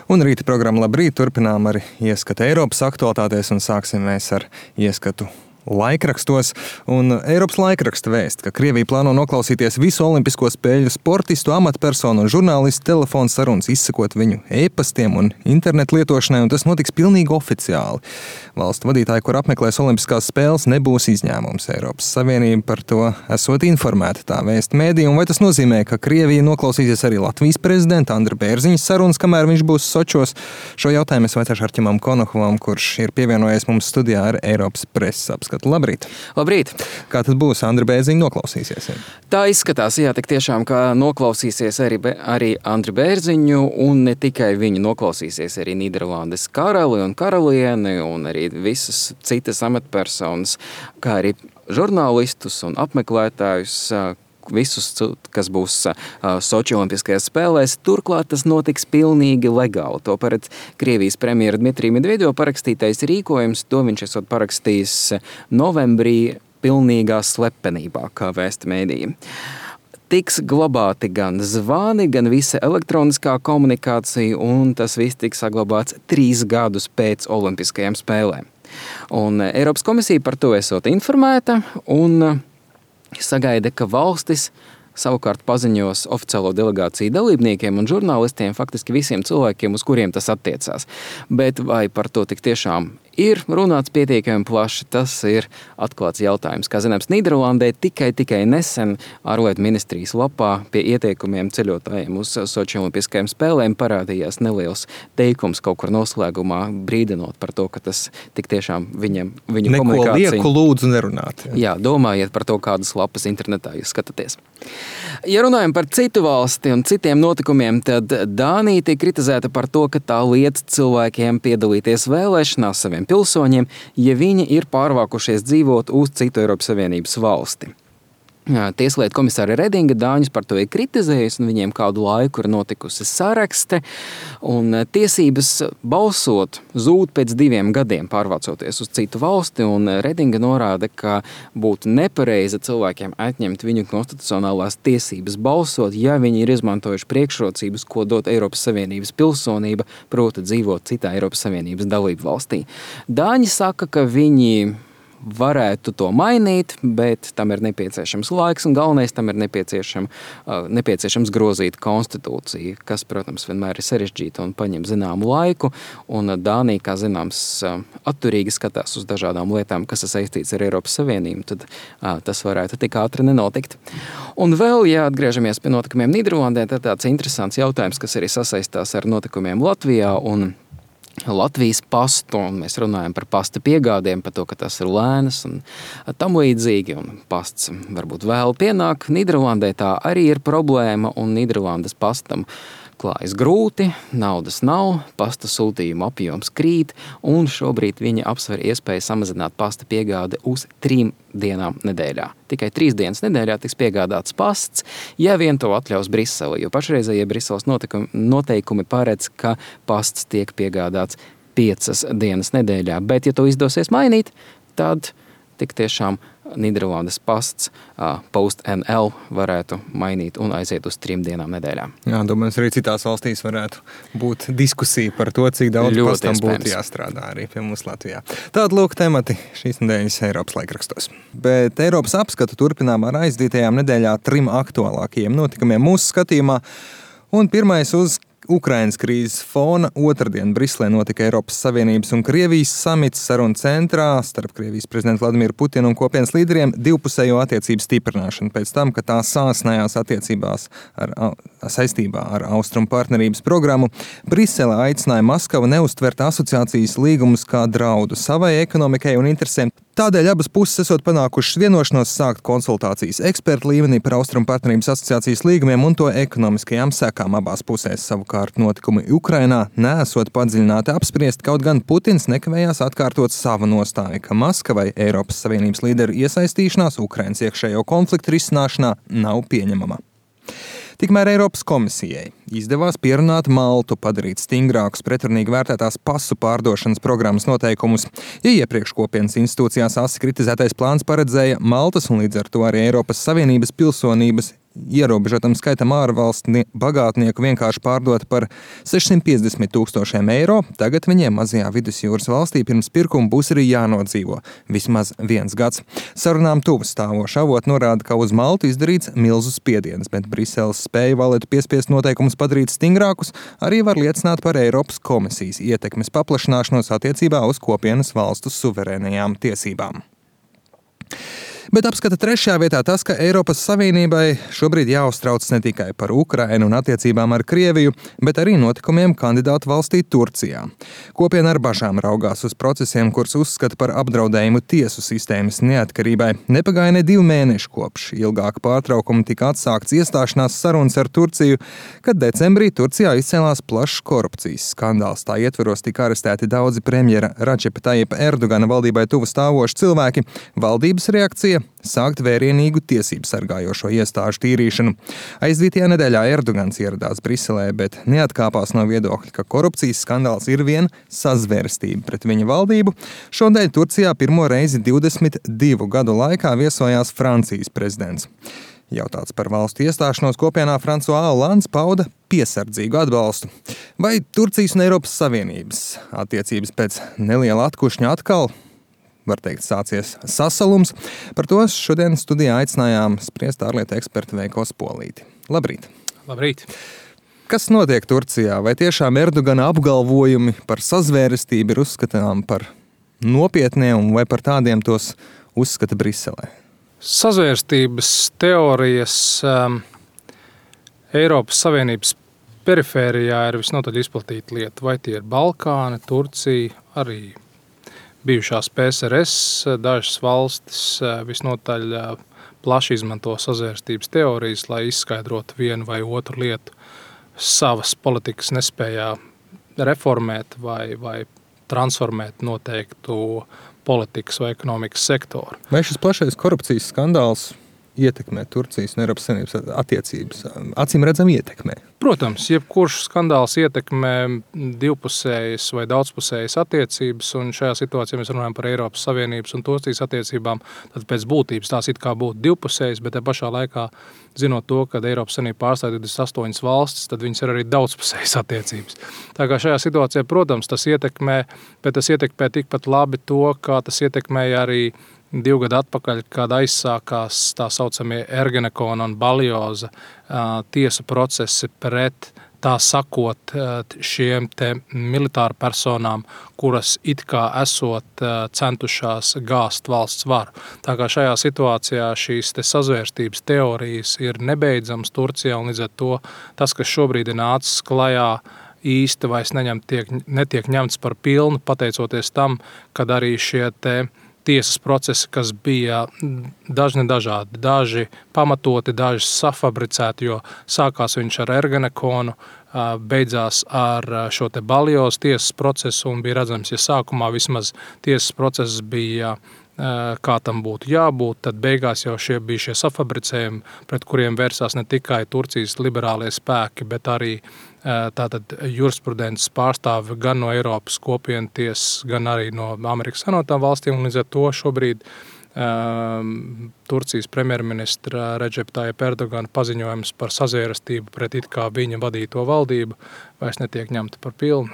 Un rīta programma Labrīt turpinām ar ieskatu Eiropas aktualitātēs un sāksim mēs ar ieskatu laikrakstos. Un Eiropas laikraksta vēst, ka Krievija plāno noklausīties visu olimpisko spēļu sportistu, amatpersonu un žurnālistu telefonu sarunas, izsakot viņu e-pastiem un internetu lietošanai, un tas notiks pilnīgi oficiāli. Valstu vadītāji, kur apmeklēs olimpiskās spēles, nebūs izņēmums. Eiropas Savienība par to esot informēta, tā vēst mēdī, un vai tas nozīmē, ka Krievija noklausīsies arī Latvijas prezidenta Andra Bērziņa sarunas, kamēr viņš būs Sočos? Šo jautājumu es vaicāšu Arķimam Konokovam, kurš ir pievienojies mums studijā ar Eiropas preses apskatu. Labrīt! Labrīt! Kā tad būs? Andra Bērziņa noklausīsies? Tā izskatās, jā, tik tiešām, ka noklausīsies arī Andri Bērziņu, un ne tikai viņu noklausīsies arī Nīderlandes karali un karalieni, un arī visas citas amatpersonas, kā arī žurnālistus un apmeklētājus, visus, kas būs Soči olimpiskajās spēlēs. Turklāt tas notiks pilnīgi legāli. To paredz Krievijas premjera Dmitrija Medvedeva parakstītais rīkojums. To viņš esot parakstījis novembrī pilnīgā slepenībā, kā vēsta mēdīja. Tiks glabāti gan zvani, gan visa elektroniskā komunikācija, un tas viss tiks saglabāts 3 gadus pēc olimpiskajām spēlēm. Un Eiropas komisija par to esot informēta, un sagaida, ka valstis savukārt paziņos oficiālo delegāciju dalībniekiem un žurnālistiem, faktiski visiem cilvēkiem, uz kuriem tas attiecās. Bet vai par to tik tiešām ir runāts pietiekami plaši, tas ir atklāts jautājums. Kā zināms, Nīderlandē tikai nesen ārlietu ministrijas lapā pie ieteikumiem ceļotājiem uz Soči olimpiskajām spēlēm parādījās neliels teikums kaut kur noslēgumā, brīdinot par to, ka tas tik tiešām viņu komunikācija... Neko lieku lūdzu nerunāt. Jā, domājiet par to, kādas lapas internetā jūs skatāties. Ja runājam par citu valsti un citiem notikumiem, tad Dānija tiek kritizēta par to, ka tā liedz cilvēkiem piedalīties vēlēšanās saviem pilsoņiem, ja viņi ir pārvākušies dzīvot uz citu Eiropas Savienības valsti. Tieslietu komisāre Redinga Dāņus par to ir kritizējusi, un viņiem kādu laiku ir notikusi sarakste, un tiesības balsot zūd pēc 2 gadiem pārvācoties uz citu valsti, un Redinga norāda, ka būtu nepareizi cilvēkiem atņemt viņu konstitucionālās tiesības balsot, ja viņi ir izmantojuši priekšrocības, ko dot Eiropas Savienības pilsonība, proti dzīvot citā Eiropas Savienības dalību valstī. Dāņi saka, ka viņi varētu to mainīt, bet tam ir nepieciešams laiks, un galvenais tam ir nepieciešams grozīt konstitūciju, kas, protams, vienmēr ir sarežģīta un paņem zināmu laiku, un Dānija, kā zināms, atturīgi skatās uz dažādām lietām, kas ir saistīts ar Eiropas Savienību, tad tas varētu tik ātri nenotikt. Un vēl, ja atgriežamies pie notikumiem Nīderlandē, tad tāds interesants jautājums, kas arī sasaistās ar notikumiem Latvijā un Latvijas pastu, un mēs runājam par pasta piegādēm, par to, ka tas ir lēnas un tam līdzīgi, un pasts varbūt vēl pienāk. Nīderlandē tā arī ir problēma, un Nīderlandes pastam klājas grūti, naudas nav, pasta sūtījuma apjoms krīt, un šobrīd viņi apsver iespēju samazināt pasta piegādi uz 3 dienām nedēļā. Tikai 3 dienas nedēļā tiks piegādāts pasts, ja vien to atļaus Brisele, jo pašreizējie Briseles noteikumi paredz, ka pasts tiek piegādāts 5 dienas nedēļā, bet ja to izdosies mainīt, tad tik tiešām Nīderlandes pasts Post.nl varētu mainīt un aiziet uz 3 dienām nedēļā. Jā, domājams, arī citās valstīs varētu būt diskusija par to, cik daudz Ļoti pastam iespējams. būtu jāstrādā arī pie mums Latvijā. Tāda lūk temati šīs nedēļas Eiropas laikrakstos. Bet Eiropas apskatu turpinām ar aizdītajām nedēļā 3 aktuālākajiem notikumiem mūsu skatījumā. Un pirmais uz Ukrainas krīzes fona. Otrdien Briselē notika Eiropas Savienības un Krievijas samits sarunu centrā starp Krievijas prezidentu Vladimiru Putinu un kopienas līderiem divpusējo attiecību stiprināšanu pēc tam, ka tā sāsnējās attiecībās saistībā ar Austrumu partnerības programmu. Brisele aicināja Maskavu neuztvert asociācijas līgumus kā draudu savai ekonomikai un interesēm. Tādēļ abas puses esot panākušas vienošanos sākt konsultācijas ekspertu līmenī par Austrumu partnerības asociācijas līgumiem un to ekonomiskajām sekām abās pusēs. Savukārt notikumi Ukrainā neesot padziļināti apspriest, kaut gan Putins nekavējās atkārtot savu nostāju, ka Maskavai Eiropas Savienības līderu iesaistīšanās Ukrainas iekšējo konfliktu risināšanā nav pieņemama. Tikmēr Eiropas komisijai izdevās pierunāt Maltu padarīt stingrākus pretrunīgi vērtētās pasu pārdošanas programmas noteikumus. Ja iepriekš kopienas institūcijās asi kritizētais plāns paredzēja Maltas un līdz ar to arī Eiropas Savienības pilsonības ierobežotam skaitam ārvalstu bagātnieku vienkārši pārdota par 650 000 eiro. Tagad viņiem mazajā vidusjūras valstī pirms pirkuma būs arī jānodzīvo vismaz 1 gads. Sarunām tuvu stāvoša avoti norāda, ka uz Maltu izdarīts milzu spiediens, bet Briseles spēja valētu piespiest noteikumus padarīt stingrākus, arī var liecināt par Eiropas komisijas ietekmes paplašināšanos attiecībā uz kopienas valstu suverēnajām tiesībām. Bet apskata 3. vietā tas, ka Eiropas Savienībai šobrīd jāuztrauc ne tikai par Ukrainu un attiecībām ar Krieviju, bet arī notikumiem kandidātu valstī Turcijā. Kopiena ar bažām raugās uz procesiem, kurus uzskata par apdraudējumu tiesu sistēmas neatkarībai. Nepagāja ne 2 mēneši kopš ilgāka pārtraukuma tika atsākts iestāšanās sarunas ar Turciju, kad decembrī Turcijā izcēlās plašs korupcijas skandāls. Tā ietveros tika arestēti daudzi premjera Radžepa Tajipa Erdogana valdībai tuvu stāvoši cilvēki. Valdības reakcija sākt vērienīgu tiesību sargājošo iestāžu tīrīšanu. Aizdītajā nedēļā Erdogans ieradās Briselē, bet neatkāpās no viedokļa, ka korupcijas skandāls ir vien sazvērstība pret viņa valdību. Šodien Turcijā pirmo reizi 22 gadu laikā viesojās Francijas prezidents. Jautāts par valstu iestāšanos kopienā, François Hollands pauda piesardzīgu atbalstu. Vai Turcijas un Eiropas Savienības attiecības pēc neliela atkušņa atkal, var teikt, sācies sasalums? Par to šodien studijā aicinājām spriest ārlietu ekspertu Veiko Spolīti. Labrīt! Labrīt! Kas notiek Turcijā? Vai tiešām Erdogana apgalvojumi par sazvērestību ir uzskatām par nopietniem, vai par tādiem tos uzskata Briselē? Sazvērstības teorijas Eiropas Savienības perifērijā ir visnotaļ izplatīta lieta. Vai tie ir Balkāni, Turcija, arī bijušās PSRS, dažas valstis visnotaļ plaši izmanto sazvērstības teorijas, lai izskaidrotu vienu vai otru lietu savas politikas nespējā reformēt vai transformēt noteiktu politikas vai ekonomikas sektoru. Vai šis plašais korupcijas skandāls ietekmē Turcijas un Eiropas Savienības attiecības? Acīm redzam ietekmē. Protams, jebkurš skandāls ietekmē divpusējas vai daudzpusējas attiecības, un šajā situācijā mēs runājam par Eiropas Savienības un Turcijas attiecībām, tad pēc būtības tās it kā būtu divpusējas, bet te pašā laikā, zinot to, ka Eiropas Savienība pārstāv 28 valstis, tad viņas ir arī daudzpusējas attiecības. Tā kā šajā situācijā, protams, tas ietekmē, bet tas ietekmē tikpat labi to, kā tas ietekmēja arī 2 gadu atpakaļ, kad aizsākās tā saucamie Ergenekona un Baljoza tiesu procesi pret, tā sakot, šiem te militāru personām, kuras it kā esot centušās gāzt valsts varu. Tā kā šajā situācijā šīs te sazvērstības teorijas ir nebeidzams Turcijā, un līdz ar to tas, kas šobrīd ir nācis klajā, īsti vairs netiek ņemts par pilnu, pateicoties tam, kad arī šie te tiesas procesi, kas bija dažni dažādi, daži pamatoti, daži safabricēti, jo sākās viņš ar Ergenekonu, beidzās ar šo te Baljozu tiesas procesu, un bija redzams, ja sākumā vismaz tiesas process bija kā tam būtu jābūt, tad beigās jau bija šie safabricējumi, pret kuriem vērsās ne tikai Turcijas liberālie spēki, bet arī tātad jurisprudences pārstāvi gan no Eiropas kopienu tiesas, gan arī no Amerikas Savienotām valstīm, un līdz ar to šobrīd Turcijas premjerministra Redžepa Tajipa Erdogana paziņojums par sazvērestību pret it kā viņa vadīto valdību vairs netiek ņemta par pilnu.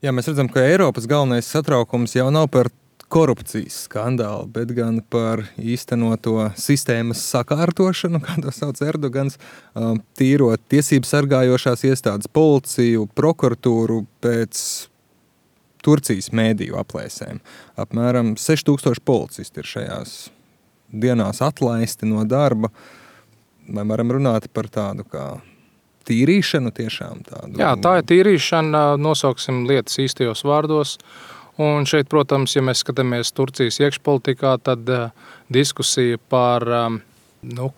Jā, mēs redzam, ka Eiropas galvenais satraukums jau nav par korupcijas skandālu, bet gan par īstenoto sistēmas sakārtošanu, kā to sauc Erdogans, tīrot tiesību sargājošās iestādes, policiju, prokuratūru pēc Turcijas mēdīju aplēsēm. Apmēram 6000 policisti ir šajās dienās atlaisti no darba. Vai varam runāt par tādu kā tīrīšanu tiešām tādu? Jā, tā ir tīrīšana, nosauksim lietas īstajos vārdos. Un šeit, protams, ja mēs skatāmies Turcijas iekšpolitikā, tad diskusija par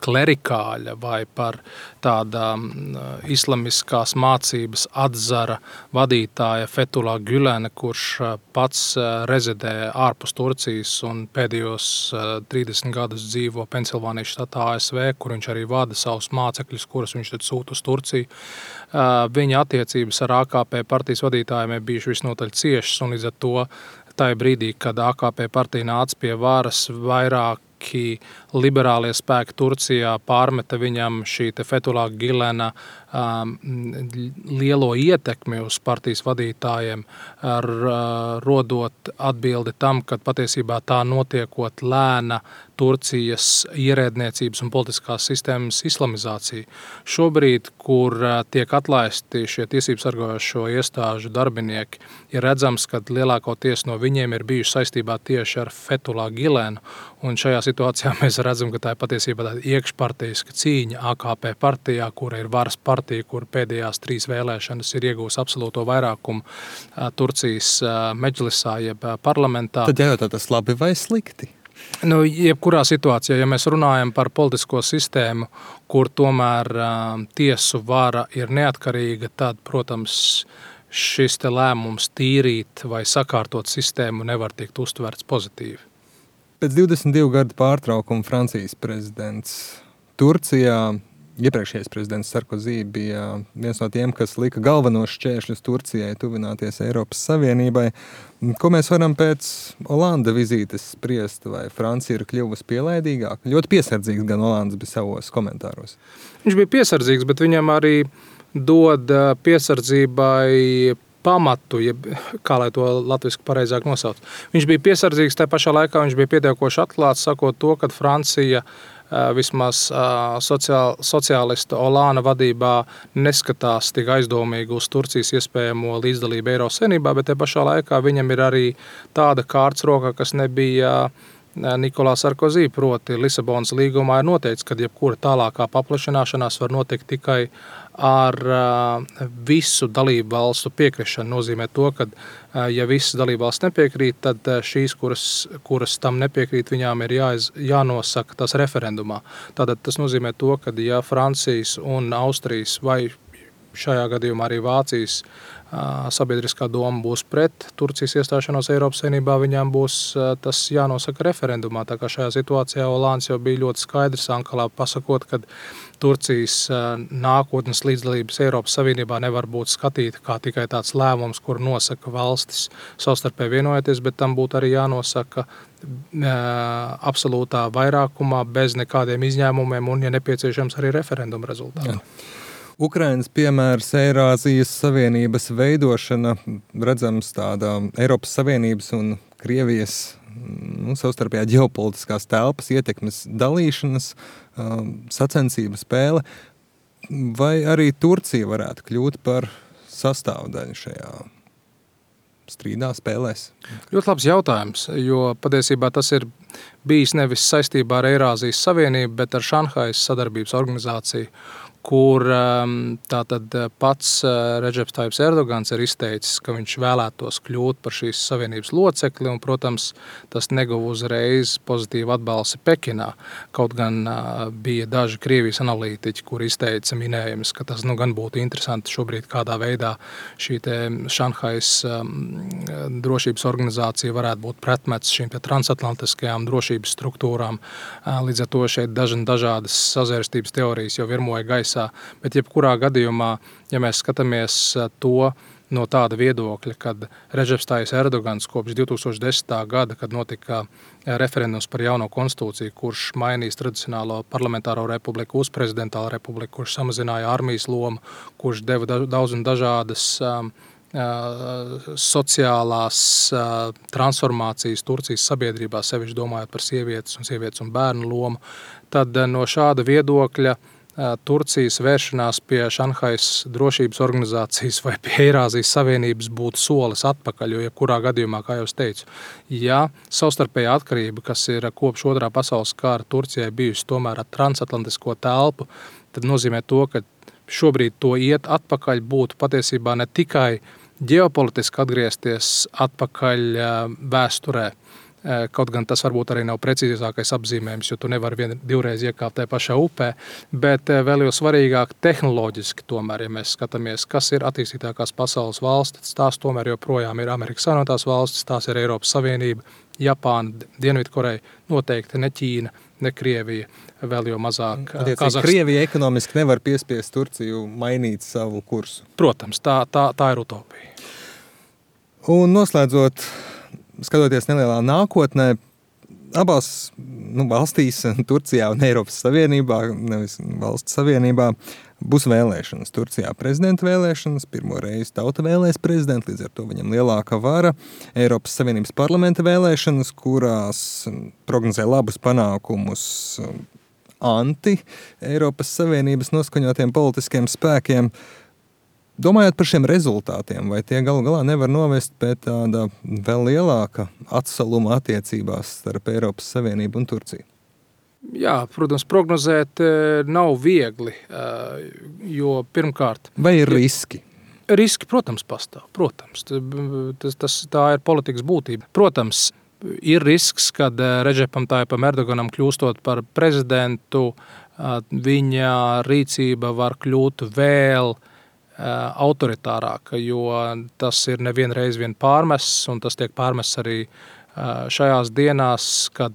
klerikāļa vai par tādām islamiskās mācības atzara vadītāja Fethullah Gülena, kurš pats rezidē ārpus Turcijas un pēdējos 30 gadus dzīvo Pensilvānijas štatā ASV, kur viņš arī vada savus mācekļus, kurus viņš tad sūta uz Turciju. Viņa attiecības ar AKP partijas vadītājiem ir bijuši visnotaļ ciešas, un līdz ar to tajā brīdī, kad AKP partija nāca pie varas, vairāki liberālie spēki Turcijā pārmeta viņam šī Fethullah Gülena lielo ietekmi uz partijas vadītājiem, rodot atbildi tam, ka patiesībā tā notiekot lēna Turcijas ierēdniecības un politiskās sistēmas islamizācija. Šobrīd, kur tiek atlaisti šie tiesību sargājošo iestāžu darbinieki, ir redzams, ka lielākoties no viņiem ir bijuši saistībā tieši ar Fethullah Gülenu, un šajā situācijā mēs redzam, ka tā ir patiesībā tāda iekšpartijiska cīņa AKP partijā, kura ir varas partija, kur pēdējās 3 vēlēšanas ir iegūs absolūto vairākumu Turcijas medžlisā, jeb parlamentā. Tad jājautā, tas labi vai slikti? Jebkurā situācijā, ja mēs runājam par politisko sistēmu, kur tomēr tiesu vara ir neatkarīga, tad, protams, šis te lēmums tīrīt vai sakārtot sistēmu nevar tikt uztverts pozitīvi. Pēc 22 gadu pārtraukuma Francijas prezidents Turcijā, iepriekšējais prezidents Sarkozy bija viens no tiem, kas lika galvenos šķēršļus Turcijai tuvināties Eiropas Savienībai. Ko mēs varam pēc Olanda vizītes spriest, vai Francija ir kļuvusi pielaidīgāka? Ļoti piesardzīgs gan Olands bija savos komentāros. Viņš bija piesardzīgs, bet viņam arī dod piesardzībai pamatu, kā lai to latviski pareizāk nosauc. Viņš bija piesardzīgs, tā pašā laikā viņš bija pietiekoši atklāts, sakot to, ka Francija vismaz sociālista Olāna vadībā neskatās tik aizdomīgi uz Turcijas iespējamo līdzdalību Eiropas Savienībā, bet te pašā laikā viņam ir arī tāda kārtas roka, kas nebija Nikolā Sarkozy, proti Lisabonas līgumā ir noteikts, ka jebkura tālākā paplašināšanās var notikt tikai ar visu dalību valstu piekrišanu. Nozīmē to, ka ja visas dalību valsts nepiekrīt, tad šīs, kuras tam nepiekrīt, viņām ir jānosaka tas referendumā. Tātad tas nozīmē to, ka ja Francijas un Austrijas vai šajā gadījumā arī Vācijas sabiedriskā doma būs pret Turcijas iestāšanos Eiropas Savienībā, viņām būs tas jānosaka referendumā. Tā kā šajā situācijā Olāns jau bija ļoti skaidrs Ankalā pasakot, ka Turcijas nākotnes līdzdalības Eiropas Savienībā nevar būt skatīta kā tikai tāds lēmums, kur nosaka valstis savstarpēji vienojoties, bet tam būtu arī jānosaka absolūtā vairākumā bez nekādiem izņēmumiem un, ja nepieciešams, arī referenduma rezultātu. Ukrainas piemērs Eirāzijas Savienības veidošana, redzams tāda Eiropas Savienības un Krievijas savstarpējā ģeopolitiskās telpas ietekmes dalīšanas sacensība spēle, vai arī Turcija varētu kļūt par sastāvdaļu šajā strīdā spēlēs? Ļoti labs jautājums, jo patiesībā tas ir bijis nevis saistībā ar Eirāzijas Savienību, bet ar Šanhajas sadarbības organizāciju, kur tātad pats Redžeps Tajibs Erdogans ir izteicis, ka viņš vēlētos kļūt par šīs savienības locekli, un, protams, tas neguva uzreiz pozitīvu atbalsti Pekinā. Kaut gan bija daži Krievijas analītiķi, kur izteica minējumus, ka tas gan būtu interesanti šobrīd kādā veidā šī te Šanhajas drošības organizācija varētu būt pretmets šīm te transatlantiskajām drošības struktūrām. Līdz ar to šeit dažādas sazvērstības teorijas jau virmoja gaisā. Bet jebkurā gadījumā, ja mēs skatāmies to no tāda viedokļa, kad Redžeps Tajibs Erdogans kopš 2010. gada, kad notika referendums par jauno konstitūciju, kurš mainīs tradicionālo parlamentāro republiku uz prezidentālo republiku, kurš samazināja armijas lomu, kurš deva daudz un dažādas sociālās transformācijas Turcijas sabiedrībā, sevišķi domājot par sievietes un bērnu lomu, tad no šāda viedokļa Turcijas vēršanās pie Šanhajas drošības organizācijas vai pie Eirāzijas Savienības būtu solis atpakaļ, jo jebkurā gadījumā, kā jau es teicu, ja savstarpējā atkarība, kas ir kopš otrā pasaules kara Turcijai bijusi tomēr ar transatlantisko telpu, tad nozīmē to, ka šobrīd to iet atpakaļ būtu patiesībā ne tikai ģeopolitiski atgriezties atpakaļ vēsturē, kaut gan tas varbūt arī nav precīzākais apzīmējums, jo tu nevari divreiz iekāpt tajā pašā upē, bet vēl jau svarīgāk tehnoloģiski tomēr, ja mēs skatāmies, kas ir attīstītākās pasaules valstis, tās tomēr joprojām ir Amerikas Savienotās valstis, tās ir Eiropas Savienība, Japāna, Dienvidkoreja, noteikti ne Ķīna, ne Krievija, vēl jau mazāk Kazahstāna. Krievija ekonomiski nevar piespiest Turciju mainīt savu kursu. Protams, tā ir utopija. Un noslēdzot, skatoties nelielā nākotnē, abās valstīs, Turcijā un Eiropas Savienībā, nevis valsts savienībā, būs vēlēšanas. Turcijā prezidenta vēlēšanas, pirmo reizi tauta vēlēs prezidentu, līdz ar to viņam lielāka vara. Eiropas Savienības parlamenta vēlēšanas, kurās prognozē labus panākumus anti-Eiropas Savienības noskaņotiem politiskiem spēkiem. Domājot par šiem rezultātiem, vai tie galu galā nevar novest pie tāda vēl lielāka atsaluma attiecībās starp Eiropas Savienību un Turciju? Jā, protams, prognozēt nav viegli, jo pirmkārt... Vai ir riski? Riski, protams, pastāv. Protams, tā ir politikas būtība. Protams, ir risks, kad Redžepam Tayyipam Erdoganam kļūstot par prezidentu, viņa rīcība var kļūt vēl autoritārāka, jo tas ir nevienreiz vien pārmests, un tas tiek pārmests arī šajās dienās, kad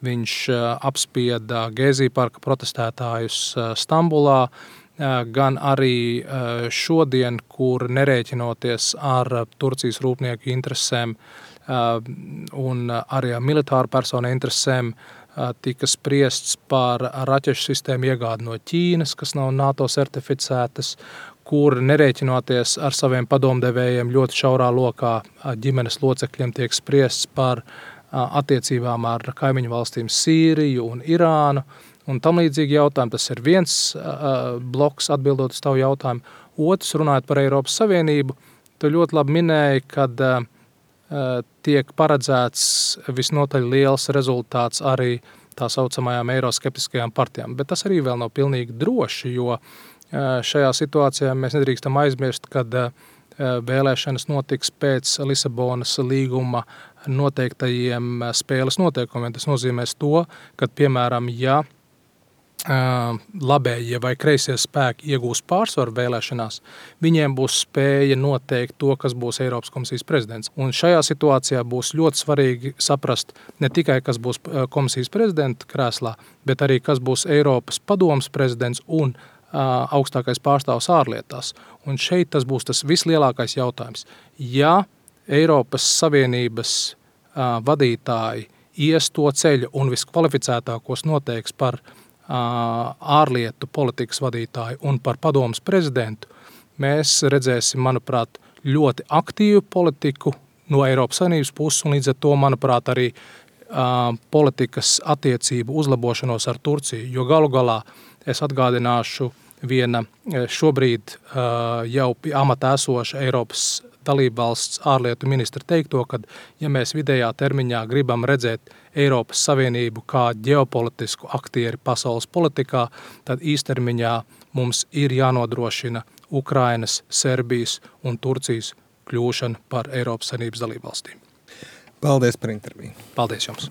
viņš apspieda Gezi parka protestētājus Stambulā, gan arī šodien, kur nerēķinoties ar Turcijas rūpnieku interesēm un arī ar militāru personu interesēm, tika spriests par raķešu sistēmu iegādi no Ķīnas, kas nav NATO certificētas, kur nerēķinoties ar saviem padomdevējiem ļoti šaurā lokā ģimenes locekļiem tiek spriests par attiecībām ar kaimiņu valstīm Sīriju un Irānu un tam līdzīgi jautājumi. Tas ir viens bloks atbildot uz tavu jautājumu. Otrs, runājot par Eiropas Savienību, tu ļoti labi minēji, kad tiek paredzēts visnotaļ liels rezultāts arī tā saucamajām eiroskeptiskajām partijām. Bet tas arī vēl nav pilnīgi droši, jo šajā situācijā mēs nedrīkstam aizmirst, kad vēlēšanas notiks pēc Lisabonas līguma noteiktajiem spēles noteikumiem. Tas nozīmēs to, ka, piemēram, ja labējie vai kreisie spēki iegūs pārsvaru vēlēšanās, viņiem būs spēja noteikt to, kas būs Eiropas komisijas prezidents. Un šajā situācijā būs ļoti svarīgi saprast ne tikai, kas būs komisijas prezidenta krēslā, bet arī, kas būs Eiropas padomes prezidents un augstākais pārstāvs ārlietās. Un šeit tas būs tas vislielākais jautājums. Ja Eiropas Savienības vadītāji ies to ceļu un viskvalificētākos noteiks par ārlietu politikas vadītāju un par padomes prezidentu, mēs redzēsim, manuprāt, ļoti aktīvu politiku no Eiropas Savienības puses un līdz ar to, manuprāt, arī politikas attiecību uzlabošanos ar Turciju, jo galu galā es atgādināšu viena šobrīd jau pie amata esoša Eiropas dalībvalsts ārlietu ministra teikto, ka ja mēs vidējā termiņā gribam redzēt Eiropas Savienību kā ģeopolitisku aktieri pasaules politikā, tad īstermiņā mums ir jānodrošina Ukrainas, Serbijas un Turcijas kļūšana par Eiropas Savienības dalībvalstīm. Paldies par interviju. Paldies jums.